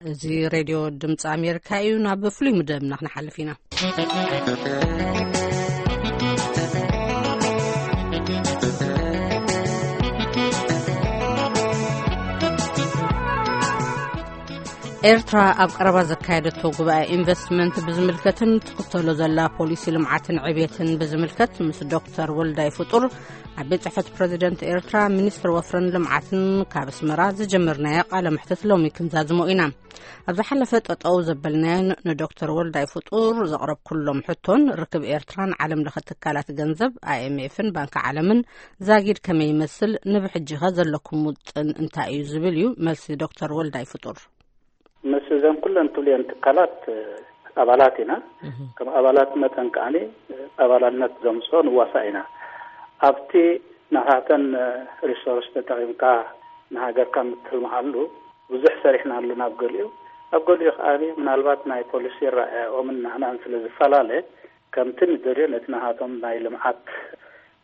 እዚ ሬድዮ ድምፂ ኣሜሪካ እዩ። ናብ ፍሉይ ምደብና ክንሓልፍ ኢና። ኤርትራ ኣብ ቀረባ ዘካየደቶ ጉባኤ ኢንቨስትመንት ብዝምልከትን ትኽተሎ ዘላ ፖሊሲ ልምዓትን ዕብየትን ብዝምልከት ምስ ዶክተር ወልዳይ ፍጡር ኣብ ቤት ጽሕፈት ፕረዚደንት ኤርትራ ሚኒስትር ወፍርን ልምዓትን ካብ ኣስመራ ዝጀመርናዮ ቃለ መሕትት ሎሚ ክንዛዝሞ ኢና። ኣብ ዝሓለፈ ጠጠው ዘበልናዮን ንዶክተር ወልዳይ ፍጡር ዘቕረብኩሎም ሕቶን ርክብ ኤርትራን ዓለም ለኸ ትካላት ገንዘብ ኣይኤምኤፍን ባንኪ ዓለምን ዛጊድ ከመይ ይመስል፣ ንብሕጂኸ ዘለኩም ውጥን እንታይ እዩ ዝብል እዩ መልሲ ዶክተር ወልዳይ ፍጡር። ምስ እዘን ኩለን ትብልየን ትካላት ኣባላት ኢና። ከም ኣባላት መጠን ከዓኒ ኣባላልነት ዘምፅኦ ንዋሳእ ኢና። ኣብቲ ናታተን ሪሶርስ ተጠቒምካ ንሃገርካ ምትልምዓሉ ብዙሕ ሰሪሕና ኣለና። ኣብ ገሊኡ ኣብ ገሊኡ ከዓኒ ምናልባት ናይ ፖሊሲ ራእያኦምን ናህናን ስለ ዝፈላለ ከምቲ ንደልዮ ነቲ ናሃቶም ናይ ልምዓት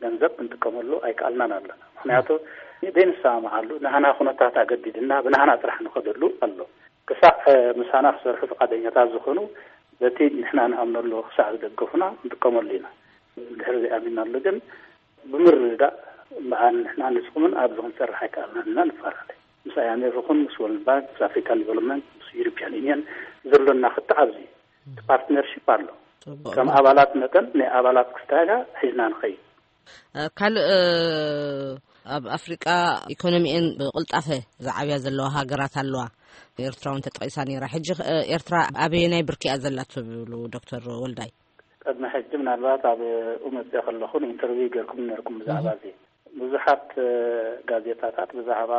ገንዘብ ክንጥቀመሉ ኣይከኣልናን ኣለና። ምክንያቱ ዘይንሰማምዓሉ ናህና ኩነታት ኣገዲድና ብናህና ጥራሕ ንኸደሉ ኣሎ። ክሳዕ ምሳና ክሰርሑ ፍቃደኛታት ዝኾኑ በቲ ንሕና ንኣምነሉ ክሳዕ ዝደገፉና ንጥቀመሉ ኢና። ድሕሪ ዘይኣሚናሉ ግን ብምርዳእ በዓል ንሕና ንስኹምን ኣብዚ ክንሰርሕ ኣይከኣልናን ኢና ንፈላለ። ምስ ኣይ ኤም ኤፍ ይኹን ምስ ወርልድ ባንክ ምስ ኣፍሪካን ዲቨሎፕመንት ምስ ዩሮፒያን ዩኒየን ዘሎና ክትዕ ኣብዚ ፓርትነርሺፕ ኣሎ። ከም ኣባላት መጠን ናይ ኣባላት ክስታጋ ሒዝና ንኸይድ። ካልእ ኣብ ኣፍሪቃ ኢኮኖሚኤን ብቕልጣፈ ዝዓብያ ዘለዋ ሃገራት ኣለዋ። ኤርትራ እውን ተጠቂሳ ነይራ። ሕጂ ኤርትራ ኣበየናይ ብርኪ እያ ዘላ ትብሉ ዶክተር ወልዳይ? ቅድሚ ሕጂ ምናልባት ኣብ መፅኦ ከለኹ ኢንተርቪው ገርኩም ነርኩም ብዛዕባ እዚ ብዙሓት ጋዜጣታት ብዛዕባ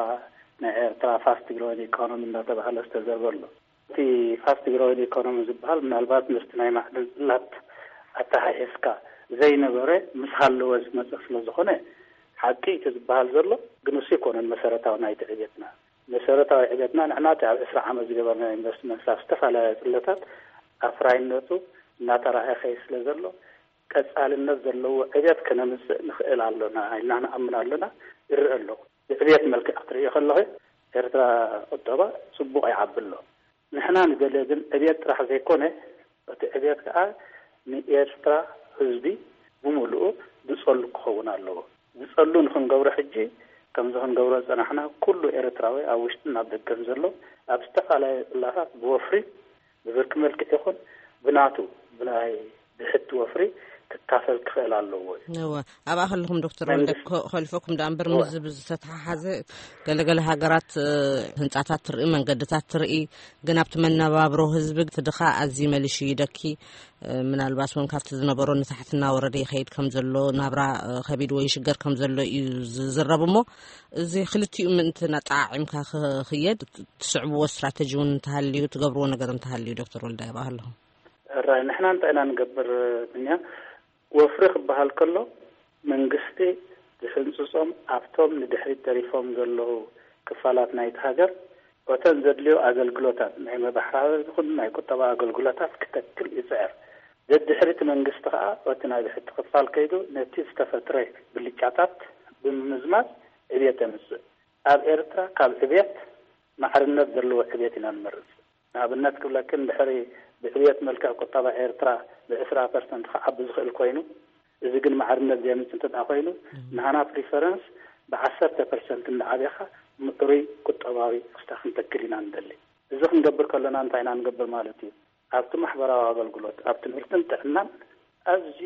ናይ ኤርትራ ፋስት ግሮዊንግ ኢኮኖሚ እንዳተባሃለ ዝተዘርበ ኣሎ። እቲ ፋስት ግሮዊንግ ኢኮኖሚ ዝበሃል ምናልባት ምስቲ ናይ ማዕድን ፅላት ኣተሓሒዝካ ዘይነበረ ምስ ሃለወ ዝመፀ ስለ ዝኾነ ሓቂ እቲ ዝበሃል ዘሎ ግን እሱ ኣይኮነን መሰረታዊ ናይቲ ዕቤትና። መሰረታዊ ዕቤትና ንሕና እቲ ኣብ ዕስራ ዓመት ዝገበርና ኢንቨስትመንት ኣብ ዝተፈላለያ ፅለታት ኣፍራይነቱ እናተራእየ ከይድ ስለ ዘሎ ቀፃልነት ዘለዎ ዕቤት ከነምፅእ ንኽእል ኣሎና ኢልና ንኣምን ኣሎና። ይረአ ኣሎ። ብዕቤት መልክዕ ክትርእዮ ከለኺ ኤርትራ ቁጠባ ፅቡቕ ይዓቢ ኣሎ። ንሕና ንደልዮ ግን ዕቤት ጥራሕ ዘይኮነ እቲ ዕቤት ከዓ ንኤርትራ ህዝቢ ብምሉኡ ዝፀሉ ክኸውን ኣለዎ። ዝፀሉ ንክንገብሮ ሕጂ ከምዚ ክንገብሮ ዝፀናሕና ኩሉ ኤርትራዊ ኣብ ውሽጥን ኣብ ደገን ዘሎ ኣብ ዝተፈላለዩ ፅላታት ብወፍሪ ብብርኪ መልክዕ ይኹን ብናቱ ብናይ ብሕቲ ወፍሪ ክካፈል ክኽእል ኣለዎ እዩ። እወ ኣብኣ ከለኹም ዶክተር ወልደ ከልፈኩም ዳ እምበር ምስ ዝብ ዝተተሓሓዘ ገለገለ ሃገራት ህንፃታት ትርኢ መንገድታት ትርኢ ግን ኣብቲ መነባብሮ ህዝቢ ትድኻ ኣዚ መልሽ ይደኪ ምናልባት እውን ካብቲ ዝነበሮ ንታሕትና ወረደ ይኸይድ ከም ዘሎ ናብራ ከቢድ ወይ ሽገር ከም ዘሎ እዩ ዝዝረብ እሞ እዚ ክልቲኡ ምእንቲ ናጣዓዒምካ ክኽየድ ትስዕብዎ ስትራተጂ እውን እንተሃልዩ ትገብርዎ ነገር እንተሃልዩ ዶክተር ወልዳይ ኣብኣ ከለኹም ራይ ንሕና እንታይ ኢና ንገብር ብንያ ወፍሪ ክበሃል ከሎ መንግስቲ ዝሕንፅፆም ኣብቶም ንድሕሪት ተሪፎም ዘለዉ ክፋላት ናይቲ ሃገር እተን ዘድልዮ ኣገልግሎታት ናይ መባሕራሪ ይኹን ናይ ቁጠባ ኣገልግሎታት ክተክል ይፅዕር። ደድሕሪ እቲ መንግስቲ ከዓ እቲ ናይ ብሕቲ ክፋል ከይዱ ነቲ ዝተፈጥረ ብልጫታት ብምምዝማዝ ዕብየት የምፅእ። ኣብ ኤርትራ ካብ ዕብየት ማዕርነት ዘለዎ ዕብየት ኢና ንመርፅ። ንኣብነት ክብለክን ድሕሪ ብዕብየት መልክዕ ቁጠባ ኤርትራ ብዕስራ ፐርሰንት ክዓቢ ዝኽእል ኮይኑ እዚ ግን ማዕርነት ዘየምፅእ እንተ ኮይኑ ንሃና ፕሪፈረንስ ብዓሰርተ ፐርሰንት እንዳዓብኻ ምዕሩይ ቁጠባዊ ክስታ ክንተክል ኢና ንደሊ። እዚ ክንገብር ከለና እንታይ ኢና ንገብር ማለት እዩ? ኣብቲ ማሕበራዊ ኣገልግሎት ኣብ ትምህርትን ጥዕናን ኣዝዩ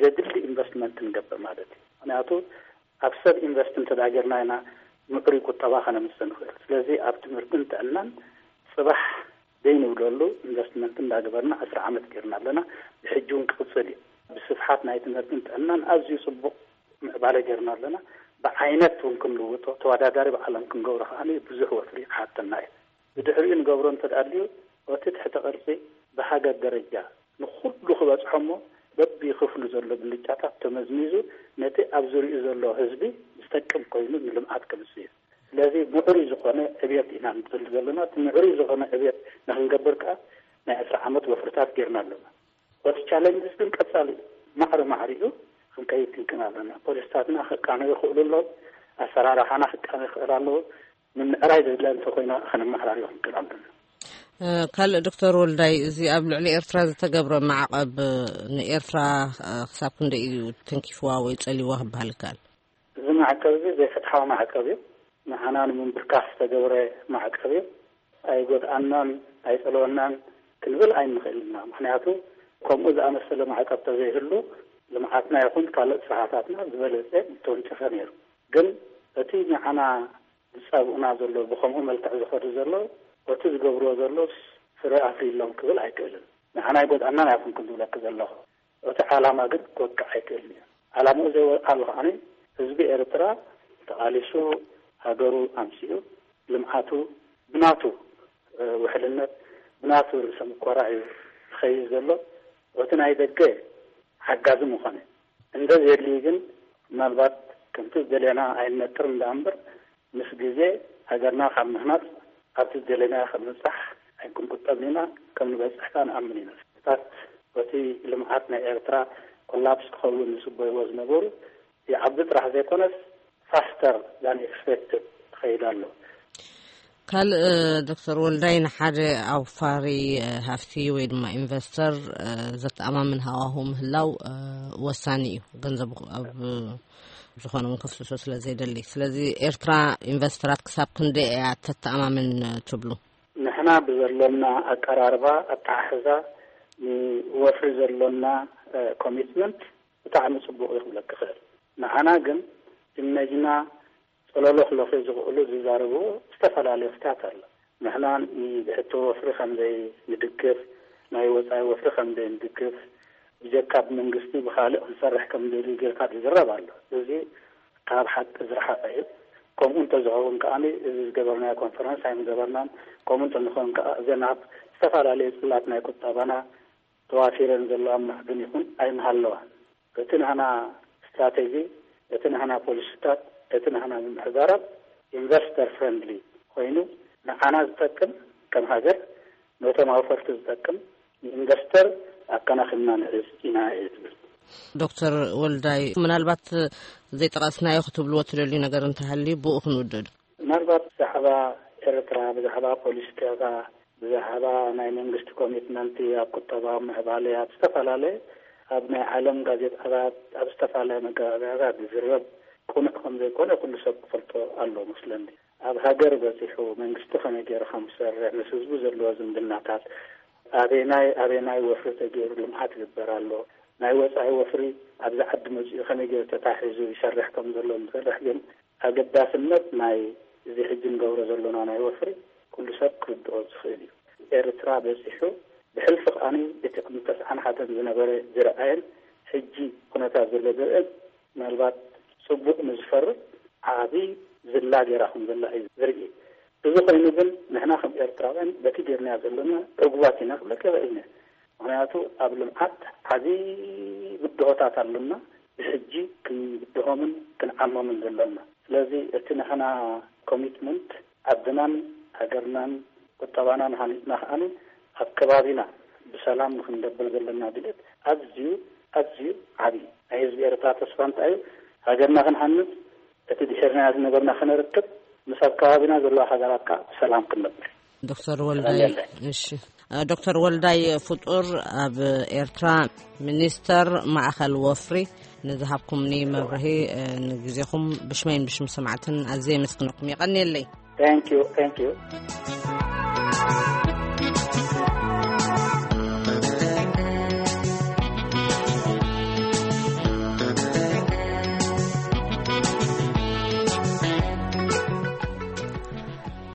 ዘድሊ ኢንቨስትመንት ንገብር ማለት እዩ። ምክንያቱ ኣብ ሰብ ኢንቨስት እንተዳ ጌርና ኢና ምዕሩይ ቁጠባ ከነምፅእ ንኽእል። ስለዚ ኣብ ትምህርትን ጥዕናን ፅባሕ ዘይንብለሉ ኢንቨስትመንት እንዳገበርና ዕስራ ዓመት ጌርና ኣለና። ብሕጂ እውን ክቕፅል እዩ። ብስፍሓት ናይ ትምህርትን ጥዕናን ኣዝዩ ፅቡቕ ምዕባለ ጌርና ኣለና። ብዓይነት እውን ክንልውጦ ተወዳዳሪ ብዓለም ክንገብሮ ከዓ ብዙሕ ወፍሪ ክሓተና እዩ። ብድሕሪኡ ንገብሮ እንተድኣልዩ እቲ ትሕተ ቅርፂ ብሃገር ደረጃ ንኩሉ ክበፅሖ እሞ በቢ ክፍሉ ዘሎ ብልጫታት ተመዝሚዙ ነቲ ኣብ ዙሪኡ ዘሎ ህዝቢ ዝጠቅም ኮይኑ ንልምዓት ከምፅእ እዩ። ስለዚ ምዕሩይ ዝኾነ ዕብየት ኢና ንፅል ዘለና። እቲ ምዕሩይ ዝኾነ ዕብየት ንክንገብር ከዓ ናይ ዕስራ ዓመት ወፍርታት ጌርና ኣለና። እቲ ቻለንጅስ ግን ቀፃሊ እዩ። ማዕሪ ማዕሪኡ ክንከይድ ክንክን ኣለና። ፖሊስታትና ክቃነዩ ይኽእሉ ኣለዉ። ኣሰራርሓና ክቃነ ይኽእል ኣለዎ። ንምዕራይ ዘድላ እንተኮይና ከነመሓላልዮ ክንክእል ኣለና። ካልእ ዶክተር ወልዳይ፣ እዚ ኣብ ልዕሊ ኤርትራ ዝተገብረ ማዕቐብ ንኤርትራ ክሳብ ክንደይ እዩ ተንኪፍዋ ወይ ጸሊዋ ክበሃል ይከኣል? እዚ ማዕቀብ እዚ ዘይፍትሓዊ ማዕቀብ እዩ። ንዓና ንምንብርካኽ ዝተገብረ ማዕቀብ እዩ። ኣይጎድኣናን ኣይጸለወናን ክንብል ኣይንኽእል ኢና። ምክንያቱ ከምኡ ዝኣመሰለ ማዕቀብ ተዘይህሉ ልምዓትና ይኹን ካልእ ስራሕታትና ዝበለጸ ምተወንጨፈ ነይሩ። ግን እቲ ንዓና ዝጻብኡና ዘሎ ብኸምኡ መልክዕ ዝኸዱ ዘሎ እቲ ዝገብርዎ ዘሎ ፍረ ኣፍርዮም ክብል ኣይክእልን። ንዓና ኣይጎድኣናን ኣይኹን ክንብለኪ ዘለኹ። እቲ ዓላማ ግን ክወቅዕ ኣይክእልን እዩ። ዓላምኡ ዘይወድዓሉ ከዓኒ ህዝቢ ኤርትራ ተቓሊሱ ሃገሩ ኣምሲኡ ልምዓቱ ብናቱ ውሕልነት ብናቱ ርእሰ ምኮራ እዩ ዝኸይድ ዘሎ። እቲ ናይ ደገ ሓጋዚ ምኾነ እንደ ዘድልዩ ግን ምናልባት ከምቲ ዝደለና ኣይንነጥር እንዳ እምበር ምስ ግዜ ሃገርና ካብ ምህናፅ ኣብቲ ዝደለና ከምንፃሕ ኣይክንቁጠብ ኢና። ከም ንበፅሕ ከዓ ንኣምን ኢና። ታት እቲ ልምዓት ናይ ኤርትራ ኮላፕስ ክኸውን ዝፅበይዎ ዝነበሩ ይዓቢ ጥራሕ ዘይኮነስ ፋስተር ዛን ኤክስፔክትድ ትኸይድ ኣሎ። ካልእ ዶክተር ወልዳይ ንሓደ ኣውፋሪ ሃፍቲ ወይ ድማ ኢንቨስተር ዘተኣማምን ሃዋሁ ምህላው ወሳኒ እዩ። ገንዘብ ኣብ ዝኾነ እውን ከፍስሶ ስለ ዘይደሊ፣ ስለዚ ኤርትራ ኢንቨስተራት ክሳብ ክንደይ እያ ተተኣማምን ትብሉ? ንሕና ብዘሎና ኣቀራርባ ኣተሓሕዛ ንወፍሪ ዘሎና ኮሚትመንት ብጣዕሚ ፅቡቅ እዩ ክብለክ ይኽእል። ንዓና ግን እነጅና ጸለሎ ክለኽዩ ዝኽእሉ ዝዛረብዎ ዝተፈላለየ ፍትሕታት ኣሎ። ንሕና ንብሕቲ ወፍሪ ከም ዘይንድግፍ፣ ናይ ወጻኢ ወፍሪ ከም ዘይንድግፍ፣ ብጀካ ብመንግስቲ ብኻልእ ክንሰርሕ ከም ዘይድል ጌርካ ዝዝረብ ኣሎ። እዚ ካብ ሓቂ ዝረሓቐ እዩ። ከምኡ እንተዝኸውን ከኣ እዚ ዝገበርናዮ ኮንፈረንስ ኣይምገበርናን። ከምኡ እንተንኸውን ከኣ እዘን ኣብ ዝተፈላለየ ጽላት ናይ ቁጠባና ተዋፊረን ዘለዋ ማዕድን ይኹን ኣይምሃለዋን። እቲ ናህና ስትራቴጂ፣ እቲ ናህና ፖሊሲታት፣ እቲ ናህና ምምሕዳራት ኢንቨስተር ፍረንድሊ ኮይኑ ንዓና ዝጠቅም ከም ሃገር ነቶም ኣውፈርቲ ዝጠቅም ንኢንቨስተር ኣከናኺብና ንዕዝ ኢና እየ ዝብል። ዶክተር ወልዳይ፣ ምናልባት ዘይጠቐስናዮ ክትብልዎ ትደልዩ ነገር እንተሃልዩ ብኡ ክንውድድ። ምናልባት ብዛዕባ ኤርትራ ብዛዕባ ፖሊሲታታ ብዛዕባ ናይ መንግስቲ ኮሚትመንት ኣብ ቁጠባዊ ምዕባለ ኣብ ዝተፈላለየ ኣብ ናይ ዓለም ጋዜጣታት ኣብ ዝተፈላለየ መጋባብያታት ዝዝረብ ቅኑዕ ከም ዘይኮነ ኩሉ ሰብ ክፈልጦ ኣሎ መስለኒ። ኣብ ሃገር በፂሑ መንግስቲ ከመይ ገይሩ ከም ዝሰርሕ ምስ ህዝቡ ዘለዎ ዝምድናታት ኣበናይ ኣበናይ ወፍሪ ተገይሩ ልምዓት ይግበር ኣሎ፣ ናይ ወፃኢ ወፍሪ ኣብዚ ዓዲ መፂኡ ከመይ ገይሩ ተታሒዙ ይሰርሕ ከም ዘሎ ዝሰርሕ ግን ኣገዳስነት ናይ እዚ ሕጂ ንገብሮ ዘሎና ናይ ወፍሪ ኩሉ ሰብ ክርድኦ ዝኽእል እዩ። ኤርትራ በፂሑ ብሕልፊ ከኣ እቲ ቅድሚ ተስዓን ሓደን ዝነበረ ዝረኣየን ሕጂ ኩነታት ዘሎ ዝርእን ምናልባት ፅቡቅ ንዝፈርድ ዓብዪ ዝላ ገይራ ከም ዘላ እዩ ዝርኢ። እዚ ኮይኑ ግን ንሕና ከም ኤርትራውያን በቲ ገይርናዮ ዘለና ዕጉባት ኢና ክብለካ ይኽእል እየ። ምክንያቱ ኣብ ልምዓት ዓብዪ ብድሆታት ኣሎና። ብሕጂ ክንብድሆምን ክንዓሞምን ዘሎና። ስለዚ እቲ ንሕና ኮሚትመንት ዓድናን ሃገርናን ቁጠባናን ሃኒፅና ከዓኒ ኣብ ከባቢና ብሰላም ንክንደብር ዘለና ድሌት ኣዝዩ ኣዝዩ ዓብዪ ናይ ህዝቢ ኤርትራ ተስፋ እንታይ እዩ? ሃገርና ክንሃንፅ እቲ ድሒርናዮ ዝነበርና ክነርክብ ምስ ኣብ ከባቢና ዘለዋ ሃገራት ከዓ ብሰላም ክንነብር። ዶክተር ወልዳይ እሺ፣ ዶክተር ወልዳይ ፍጡር ኣብ ኤርትራ ሚኒስተር ማእኸል ወፍሪ ንዝሃብኩምኒ መብርሂ ንግዜኹም ብሽመይን ብሽም ሰማዕትን ኣዝየ የመስግነኩም። የቐንየለይ። Thank you, thank you.